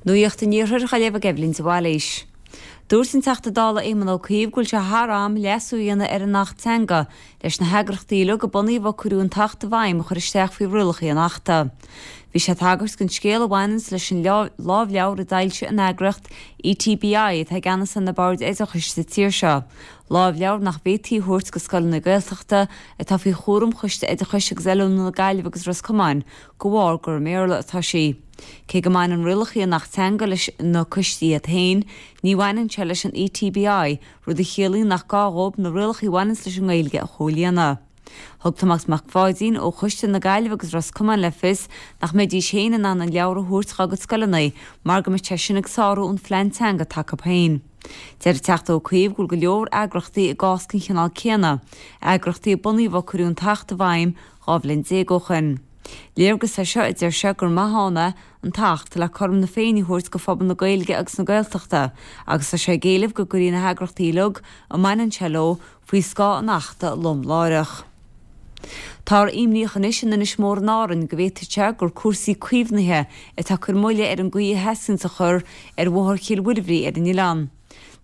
Nuacht an Iarthair á léamh ag Eibhlín de Bhailís. Dúirt an Teachta Dála Éamon Ó Cuív go bhfuil sé thar am leasú a dhéanamh ar an Acht Teanga leis na heagrachtaí uilig a bunaíodh ó cuireadh an tAcht i bhfeidhm a chur isteach faoi rialacha an Achta. Bhí sé ag tagairt don scéal a bhaineanns leis an lámhleabhar a d'fhoilsigh an eagraíocht ETBI atá i gceannas ar na boird oideachais sa tír seo, lámhleabhar nach bhféadfaí a thabhairt go scoileanna Gaeltachta atá faoi chúram Choiste Oideachais agus Oiliúna na Gaillimhe agus Ros Comáin de bharr gur i mBéarla atá sí. Cé go mbaineann rialacha an Acht Teanga leis na coistí iad féin, ní bhaineann sé leis an ETBI, rud a chiallaíonn nach gá dhóibh na rialacha a bhaineanns leis an nGaeilge a chomhlíonadh. Thug Tomás Mac Pháidín ó Choiste na Gaillimhe agus Ros Comáin le fios nach mbeidís féin in ann an leabhar a thabhairt dhá gcuid scoileanna mar go mbeadh sé sin ag sárú an phlean teanga atá acu féin. Deir an Teachta Ó Cuív go bhfuil go leor eagrachtaí i gcás den chineál céanna, eagrachtaí a bunaíodh ó cuireadh an tAcht i bhfeidhm 12 bhliain ó shoin. Léargas é seo, a deir sé, gur maith ann é an tAcht le cothrom na Féinne a thabhairt go phobal na Gaeilge agus na Gaeltachta agus tá sé ag éileamh go gcuirfí na heagrachtaí uilig a mbaineann sé leo faoi scáth an Achta lom láithreach. Táthar imníoch anois in Inis Mór in Árainn go bhféadfadh sé gur cúrsaí caomhnaithe atá ag cur moille ar an gcaoi a theastaíonns a chur ar bhóthar Chill Mhuirbhrí ar an oileán.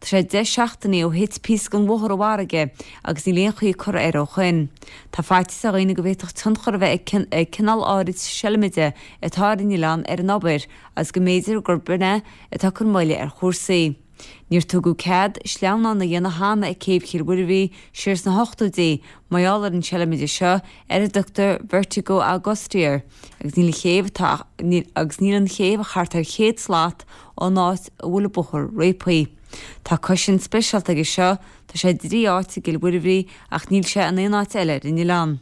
Tá sé 10 seachtainí ó thit píosa den bhóthar i bhfarraige agus níl aon chaoi curtha air ó shoin. Tá faitíos ar dhaoine go bhféadfadh tionchar a bheith ag cineál áirid seilimide atá ar an oileán ar an obair agus go mb'fhéidir gurb in é atá ag cur moille ar chúrsaí. Níor tugadh cead sleamhnán a dhéanamh cheana ag céibh Chill Mhuirbhrí siar sna hochtóidí mar gheall ar an seilimide seo ar a dtugtar Vertigo Augusti air agus níl an chéibh atá agus níl an chéibh ach thart ar chéad slat ón áit a bhfuil an bóthar réabtha. Tá cosaint speisialta aige seo, tá sé i dtrí áit i gCill Mhuirbhrí ach níl sé in aon áit eile ar an oileán.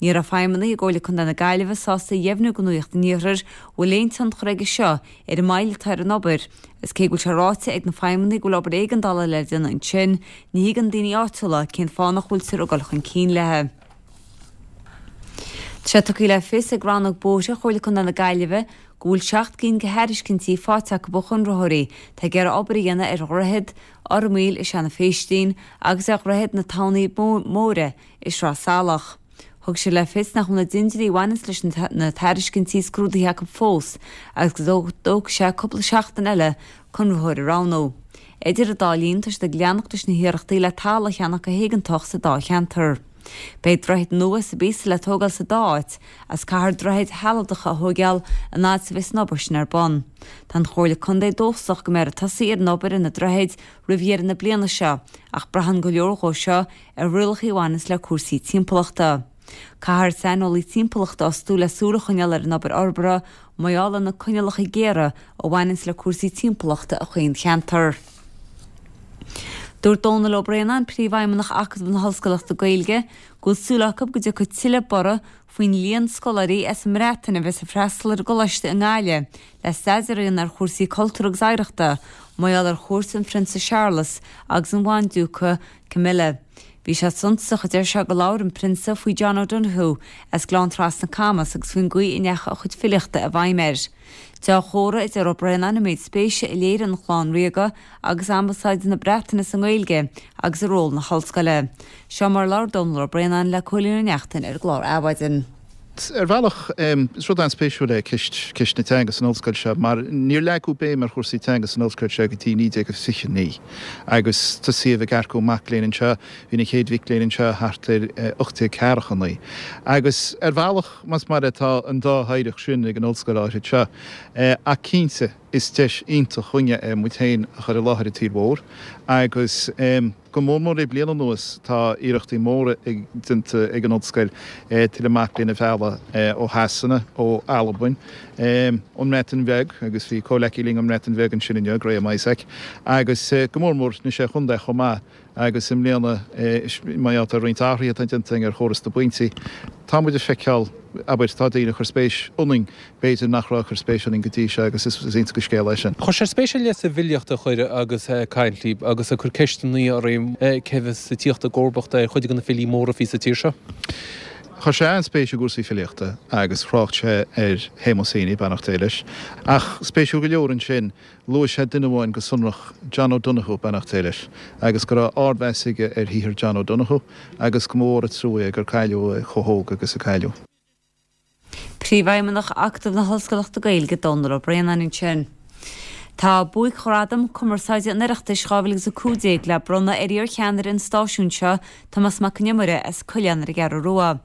Ní raibh feidhmeannaigh i gComhairle Contae na Gaillimhe sásta a dheimhniú do Nuacht an Iarthair an bhfuil aon tionchar aige seo ar an moill atá ar an obair, agus cé go bhfuil sé ráite ag na feidhmeannaigh go bhfuil obair éigeandála le déanamh ansin, ní thuigeann daoine áitiúla cén fáth nach bhfuiltear ag dul chun cinn léi. Tá sé tugtha le fios ag rannóg bóithre Chomhairle Contae na Gaillimhe go bhfuil 7 gcinn de thairiscintí faighte acu ó chonraitheoirí atá ag iarraidh obair a dhéanamh ar Dhroichead Fhormaoil i Seanadh Phéistín agus ar Dhroichead na Tamhnaí Móire i Sraith Salach. Thug siad le fios nach bhfuil na dintiúirí a bhaineanns leis na tairiscintí scrúdaithe acu fós agus go dtógfaidh sé cúpla seachtain eile conraitheoir a roghnú. Idir an dá linn tá siad ag leanacht leis na hiarrachtaí le talamh a cheannach go héigeantach sa dá cheantar. Beidh droichid nua sa bpíosa le tógáil sa dá áit agus caithfear droichid shealadacha a thóigeáil an fhad is a bheas an obair sin ar bun. Tá an Chomhairle Contae dóchasach go mbeifear ag tosaí ar an obair ar na droichid roimh dheireadh na bliana seo ach braitheann go leor dhó seo ar rialacha a bhaineanns le cúrsaí timpeallachta. Caithfear saineolaí timpeallachta a fhostú le súil a choinneáil ar an obair fhorbartha mar gheall ar na coinníollacha géara a bhaineanns le cúrsaí timpeallachta i chaon cheantar. Dúirt Dónal Ó Braonáin, Príomhfheidhmeannach Acadamh na hOllscoileachta Gaeilge, go bhfuil súil acu go dtiocfaidh tuilleadh borradh faoin líon scoláirí as an mBreatain a bheas ag freastal ar an gcoláiste i nGaillimh le staidéar a dhéanamh ar chúrsaí cultúir agus oidhreachta mar gheall ar chuairt an Phrionsa Séarlas agus an Bhandiúca Camilla. Bhí sé suntasach, a deir sé, gur labhair an Prionsa faoi John O'Donoghue as Gleann Trasna Camas agus faoin gcaoi a ndeachaigh a chuid filíochta i bhfeidhm air. Dea-chomhartha, a deir Ó Braonáin, an méid spéise a léirigh an chlann ríoga agus Ambasáid na Breataine sa nGaeilge agus i ról na hollscoile. Seo mar a labhair Dónal Ó Braonáin le Cóilín Ó Neachtain ar an gclár Adhmhaidin. Ar bhealach, is rud an-spéisiúil é ceist, ceist na teanga san ollscoil seo mar níor leagadh béim ar chúrsaí teanga san ollscoil seo go dtí 1929 agus tosaíodh ag earcú mac léinn anseo, bhí na chéad mhic léinn anseo thart ar 1849. Agus ar bhealach, más maith leat, tá an dá oidhreacht sin ag an ollscoil áirid seo. Ach cinnte, is deis iontach dhúinne é muid féin a chur i láthair an tsaoil mhóir agus. Go mór mór le bliain anuas tá iarrachtaí móra déanta ag an Ollscoil tuilleadh mac léinn a mhealladh ó Shasana, ó Albain, ón mBreatain Bheag agus bhí comhleacaí linn ón mBreatain Bheag ansin inniu, Graham Isaac, agus go mór mór na Sé Chontae chomh maith agus i mbliana mar gheall ar roinnt athruithe atá déanta againn ar chóras na bpointí tá muid ag feiceáil, abair, tá daoine ag cur spéis ionainn b'fhéidir nach raibh ag cur spéis ionainn go dtí seo agus is iontach an scéal é sin. Chuir sé spéis ar leith sa bhfilíocht a chuir agus ag caint libh agus ag cur ceisteanna oraibh cé bheas ag tíocht i gcomharbacht ar chuid de na filí móra a bhí sa tír seo. Chuir sé an-spéis i gcúrsaí filíochta agus thrácht sé ar Shéamus Heaney, beannacht Dé leis. Ach spéisiúil go leor ansin, luaigh sé duine amháin go sonrach, John O'Donoghue, beannacht Dé leis, agus go raibh ardmheas aige ar shaothar John O'Donoghue agus go mba mhór an trua é gur cailleadh é chomh hóg agus a cailleadh. Príomhfheidhmeannach Acadamh na hOllscoileachta Gaeilge, Dónal Ó Braonáin ansin. Tá Buaic-Ghradam Cumarsáide an Oireachtais 2015 le bronnadh ar iar-cheannaire an stáisiúin seo, Tomás Mac Con Iomaire as Coileán ar an gCeathrú Rua.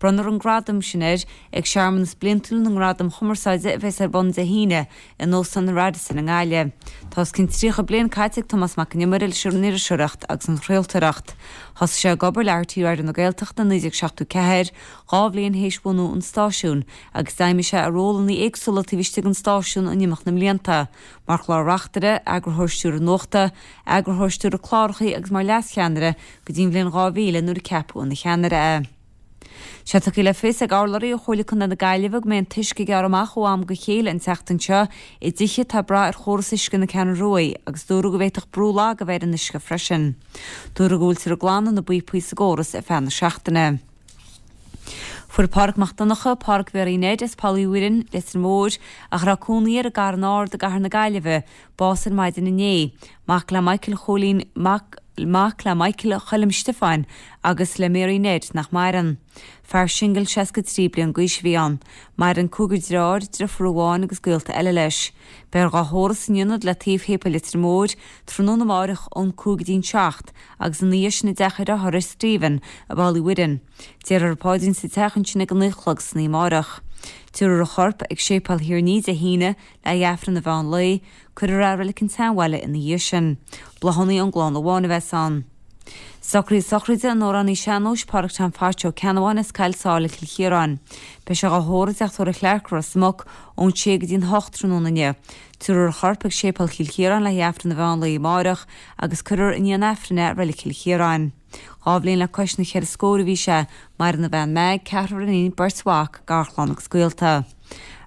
Bronnfar an gradam sin air ag searmanas bliantúil na nGradam Chumarsáide a bheas ar bun Dé hAoine in Óstán an Radisson i nGaillimh. Tá os cionn 30 bliain caite ag Tomás Mac Con Iomaire leis an iriseoireacht agus an chraoltóireacht. Thosaigh sé ag obair le RTÉ Raidió na Gaeltachta i 1974, 2 bhliain théis bhunú an stáisiúin, agus d'fheidhmigh sé i rólanna éagsúla taobh istigh den stáisiún in imeacht na mblianta, mar chlár-reachtaire, eagarthóir stiúrtha nuachta, eagarthóir stiúrtha cláracha agus mar leas-cheannaire go dtí an bhliain 2000 nuair a ceapadh ina cheannaire é. Sé tugtha le fios ag urlabhraí ó Chomhairle Contae na Gaillimhe go mbeidh an t-uisce ag gearradh amach ó am go chéile an tseachtain seo i dtithe atá ag brath ar chóras uisce na Ceathrún Ruaidh agus dúradh go bhféadfadh brú lag a bheith ar an uisce freisin. Dúradh go bhfuiltear ag glanadh na bpíopaí sa gcóras ar feadh na seachtaine. Fuair Pádraig Mac Donncha, Pádraig Mhéaraí Ned as Poll Uí Mhuirinn, Leitir Móir, ach a raibh cónaí air i gCarn Ard i gCathair na Gaillimhe, bás ar maidin inné. Mac le Michael Chóilín, mac mac le Michael Choilm Stiofáin agus le Mary Ned nach maireann. Fear singil 63 bliain d'aois a bhí ann. Maireann cúigear dearthár, driofúr amháin agus gaolta eile leis. Beifear dhá thórramh san ionad le taobh Shéipéal Leitir Móir tráthnóna amáireach ón 5 go dtí an 7 agus ina dhiaidh sin i dteach a dhriothára Stephen i bPoll Uí Mhuirinn. Déarfar an paidrín sa teach ansin ag a 9 a chlog san oíche amáireach. Tabharfar a chorp ag Séipéal Thír an Fhia Dé hAoine le haghaidh Aifreann an mheán lae, cuirfear é i Reilig an tSeanbhaile ina dhiaidh sin. Bláthanna ón gclann amháin a bheas ann. Socruithe sochraide an amhránaí sean-nóis Pádraig Tom Phatch Ó Ceannabháin as Cill Sáile, Cill Chiaráin. Beidh sé dhá thórramh i dteach tórraimh Chlarke, Ros Muc, ón 6 go dtí an 8 tráthnóna inniu. Tabharfar a chorp ag Séipéal Chill Chiaráin le haghaidh Aifreann an mheán lae amáireach agus cuirfear i ndiaidh an Aifrinn é i Reilig Chill Chiaráin. 2 bhliain le cois na cheithre scór a bhí sé, maireann a bhean Meg, ceathrar iníon, beirt mhac, garchlann agus gaolta.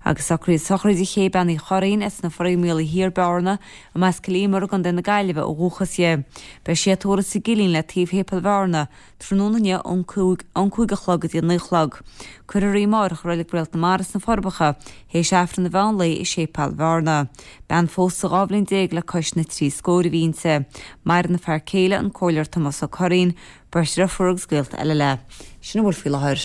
Agus socruithe sochraide Ché Bean Uí Churraoin as na Foraí Maolaí Thiar, Bearna, arb as Cill Íomair i gContae na Gaillimhe ó dhúchas di. Beidh sí á tórramh sa gCillín le taobh Shéipéal Bhearna, tráthnóna inniu ón 5 ón 5 a chlog go dtí an 9 a chlog. Cuirfear í amáireach i Reilig Réalt na Mara sna Forbacha, théis Aifreann an mheán lae i Séipéal Bhearna. Bean phósta 12 bhliain le cois na dtrí scór a bhí inti. Maireann a fear céile, an Comhairleoir Tomás Ó Curraoin, beirt dhriofúr agus gaolta eile léi. Sin a bhfuil faoi láthair.